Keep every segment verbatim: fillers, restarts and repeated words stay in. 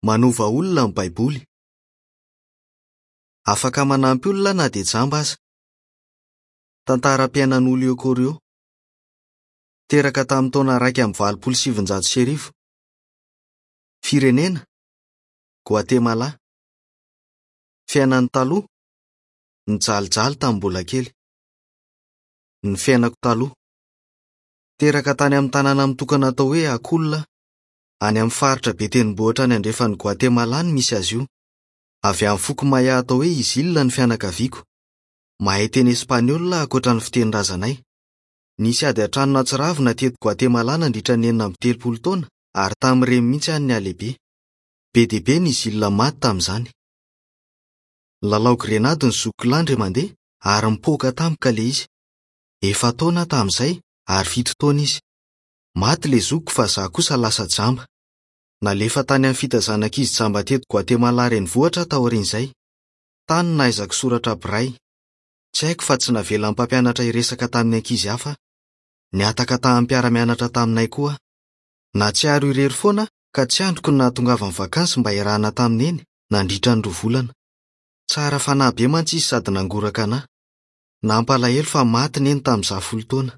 Manova olona ny Baiboly. Afaka manampy olona na dia jamba aza. Tantaram-piainan'i Julio Corio. Teraka tamin'ny taona iraika amby valopolo sy sivinjato sy arivo. Firenena: Guatemala. Fiainany taloha: Nijalijaly tamin'ny mbola kely. Ny fiainako taloha. Teraka tany amin'ny tanàna mitokana atao hoe Acul, any amin'ny faritra be tendrombohitra any andrefan'i Guatemala no misy azy io. Avy amin'ny foko Maya atao hoe Izil ny fianakaviako. Mahay teny espaniola ankoatra ny fitenin-drazanay. Nisy ady an-trano nahatsiravina teto Guatemala nandritra ny enina amby telopolo taona ary tamin'ireny mihitsy aho no nihalehibe. Be dia be ny Izil maty tamin'izany. Nilalao grenady ny zokiko lahy indray mandeha ary nipoaka tampoka ilay izy. Efa-taona aho tamin'izay ary fito taona izy. Maty ilay zokiko fa izaho kosa lasa jamba. Nalefa tany amin'ny fitaizana ankizy jamba teto Guatemala renivohitra aho taorian'izay. Tany no nahaizako soratra braille. Tsy haiko fa tsy navelan'ny mpampianatra hiresaka tamin'ny ankizy hafa aho. Nihataka tamin'ny mpiara-mianatra taminay koa aho. Nahatsiaro irery foana aho ka tsy andriko ny nahatongavan'ny vakansy mba hiarahana tamin'i Neny nandritra ny roa volana. Tsara fanahy be mantsy izy sady nangoraka anahy. Nampalahelo fa maty Neny tamin'izaho folo taona.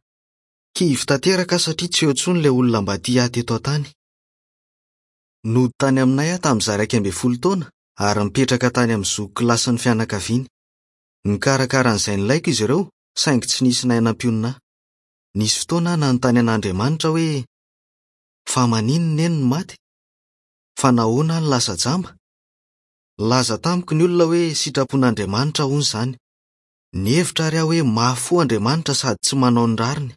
Kivy tanteraka aho satria tsy eo intsony ilay olona mba tia ahy teto an-tany. Nody tany aminay aho tamin'izaho iraika ambin'ny folo taona ary nipetraka tany amin'ny zokiko lahy sy ny fianakaviany. Nikarakara an'izay nilaiko izy ireo saingy tsy nisy nahay nampionona ahy. Nisy fotoana aho nanontany an'Andriamanitra hoe: "Fa maninona Neny no maty? Fa nahoana aho no lasa jamba?" Nilaza tamiko ny olona hoe sitrapon'Andriamanitra hono izany. Nihevitra ary aho hoe mafy fo Andriamanitra sady tsy manao ny rariny.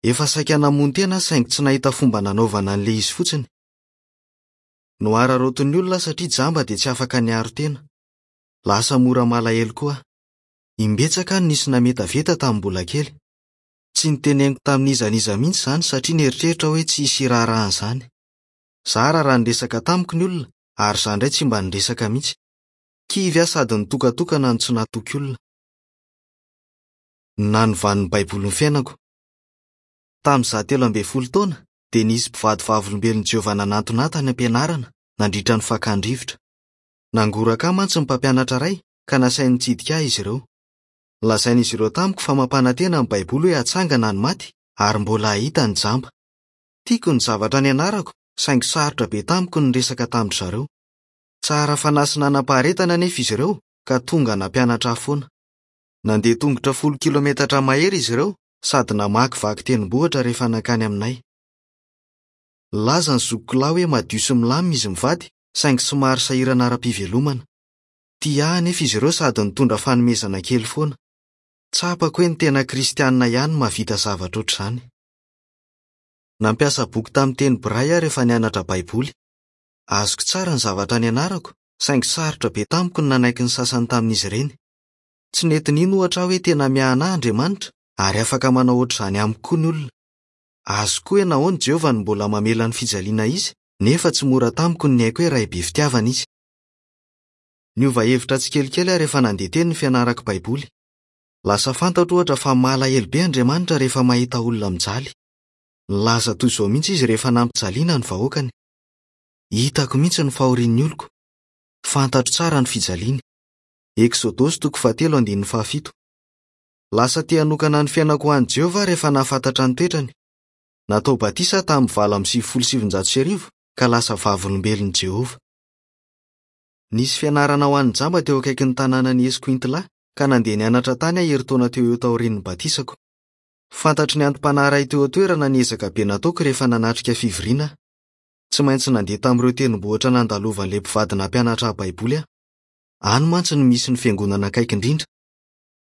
Efa saika namono tena aho saingy tsy nahita fomba nanaovana an'ilay izy fotsiny. Nohararaotin'ny olona aho satria jamba dia tsy afaka niaro tena. Lasa mora malahelo koa aho. Imbetsaka aho no nisy nametaveta tamin'ny mbola kely. Tsy niteneniko tamin'iza n'iza mihitsy izany satria nieritreritra hoe tsy hisy hiraharaha an'izany. Zara raha niresaka tamiko ny olona ary izaho indray tsy mba niresaka mihitsy. Kivy aho sady nitokatokana no tsy natoky olona. Ny nanovan'ny Baiboly ny fiainako. Tamin'izaho telo ambin'ny folo taona dia nisy mpivady vavolombelon'i Jehovah nanantona ahy tany am-pianarana nandritra ny fakan-drivotra. Nangoraka ahy mantsy ny mpampianatra iray ka nasainy nitsidika ahy izy ireo. Nolazain'izy ireo tamiko fa mampanantena ny Baiboly hoe hatsangana ny maty ary mbola hahita ny jamba. Tiako ny zavatra nianarako saingy sarotra be tamiko ny niresaka tamin-dry zareo. Tsara fanahy sy nanam-paharetana anefa izy ireo ka tonga nampianatra ahy foana. Nandeha tongotra folo kilometatra mahery izy ireo sady namakivaky tendrombohitra rehefa nankany aminay. Nilaza ny zokiko lahy hoe madio sy milamina izy mivady saingy somary sahirana ara-pivelomana. Tia ahy anefa izy ireo sady nitondra fanomezana kely foana. Tsapako hoe ny tena kristianina ihany no mahavita zavatra ohatr'izany. Nampiasa boky tamin'ny teny braille aho rehefa nianatra Baiboly. Azoko tsara ny zavatra nianarako saingy sarotra be tamiko ny nanaiky ny sasany tamin'izy ireny. Tsy nety nino ohatra aho hoe tena miahy ahy Andriamanitra ary afaka manao ohatr'izany amiko koa ny olona. Azoko hoe nahoana Jehovah no mbola mamela ny fijaliana izy nefa tsy mora tamiko ny niaiky hoe Ray be fitiavana izy. Niova hevitra tsikelikely aho rehefa nandeha teny ny fianarako Baiboly. Lasa fantatro ohatra fa malahelo be Andriamanitra rehefa mahita olona mijaly. Nilaza toy izao mihitsy izy rehefa nampijaliana ny vahoakany: "Hitako mihitsy ny fahorian'ny oloko. Fantatro tsara ny fijaliany." Eksodosy toko fahatelo andininy fahafito. Lasa te hanokana ny fiainako ho an'i Jehovah aho rehefa nahafantatra ny toetrany. Natao batisa aho tamin'ny valo amby sivifolo sy sivinjato sy arivo ka lasa vavolombelon'i Jehovah. Nisy fianarana ho an'ny jamba teo akaikin'ny tanànan'i Escuintla ka nandeha nianatra tany aho herintaona teo eo taorian'ny batisako. Fantatry ny antom-panahy iray teo an-toerana ny ezaka be nataoko rehefa nanatrika fivoriana aho. Tsy maintsy nandeha tamin'ireo tendrombohitra nandalovan'ilay mpivady nampianatra ahy Baiboly aho. Any mantsy no misy ny fiangonana akaiky indrindra.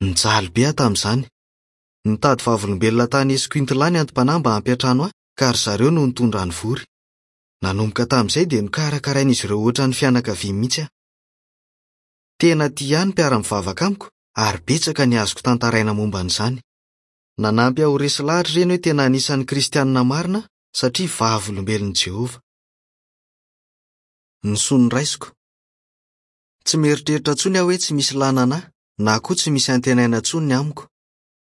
Nijaly be aho tamin'izany. Nitady vavolombelona tany Escuintla ny antom-panahy mba hampiantrano ahy ka ry zareo no nitondra ny vory. Nanomboka tamin'izay dia nokarakarain'izy ireo ohatran'ny fianakaviany mihitsy aho. Tena tia ahy ny mpiara-mivavaka amiko ary betsaka ny azoko tantaraina momba an'izany. Nanampy ahy ho resy lahatra ireny hoe tena anisan'ny kristianina marina satria vavolombelon'i Jehovah. Ny soa noraisiko. Tsy mieritreritra intsony aho hoe tsy misy ilàna ahy na koa tsy misy antenaina intsony ny amiko.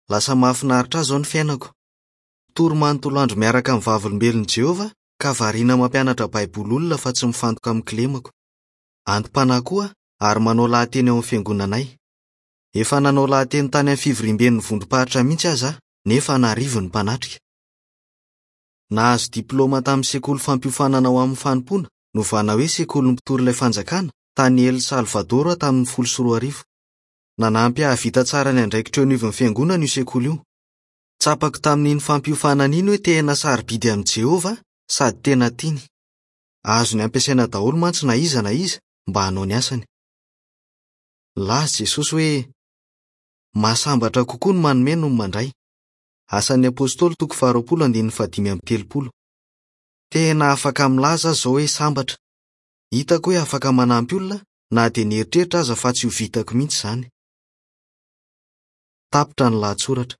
Lasa mahafinaritra ahy izao ny fiainako. Tory manontolo andro miaraka amin'ny vavolombelon'i Jehovah ka variana mampianatra Baiboly olona fa tsy mifantoka amin'ny kilemako. Anti-panahy koa aho ary manao lahateny ao amin'ny fiangonanay. Efa nanao lahateny tany amin'ny fivoriamben'ny vondrom-paritra mihitsy aza aho, nefa an'arivo ny mpanatrika. Nahazo diplaoma tamin'ny sekoly fampiofanana ho amin'ny fanompoana, novana hoe Sekolin'ny Mpitory Ilay Fanjakana, tany El Salvador aho tamin'ny folo sy roa arivo. Nanampy ahy hahavita tsara ny andraikitra eo anivon'ny fiangonana io sekoly io. Tsapako tamin'iny fampiofanana iny hoe tena sarobidy amin'i Jehovah sady tena tiany. Azony ampiasaina daholo mantsy na iza na iza mba hanao ny asany. Nilaza Jesosy hoe mahasambatra kokoa ny manome noho ny mandray. Asan'ny Apostoly toko faharoapolo andininy fahadimy amby telopolo. Tena afaka milaza aho izao hoe sambatra. Hitako hoe afaka manampy olona na dia nieritreritra aza fa tsy ho vitako mihitsy izany. Tapitra ny lahatsoratra.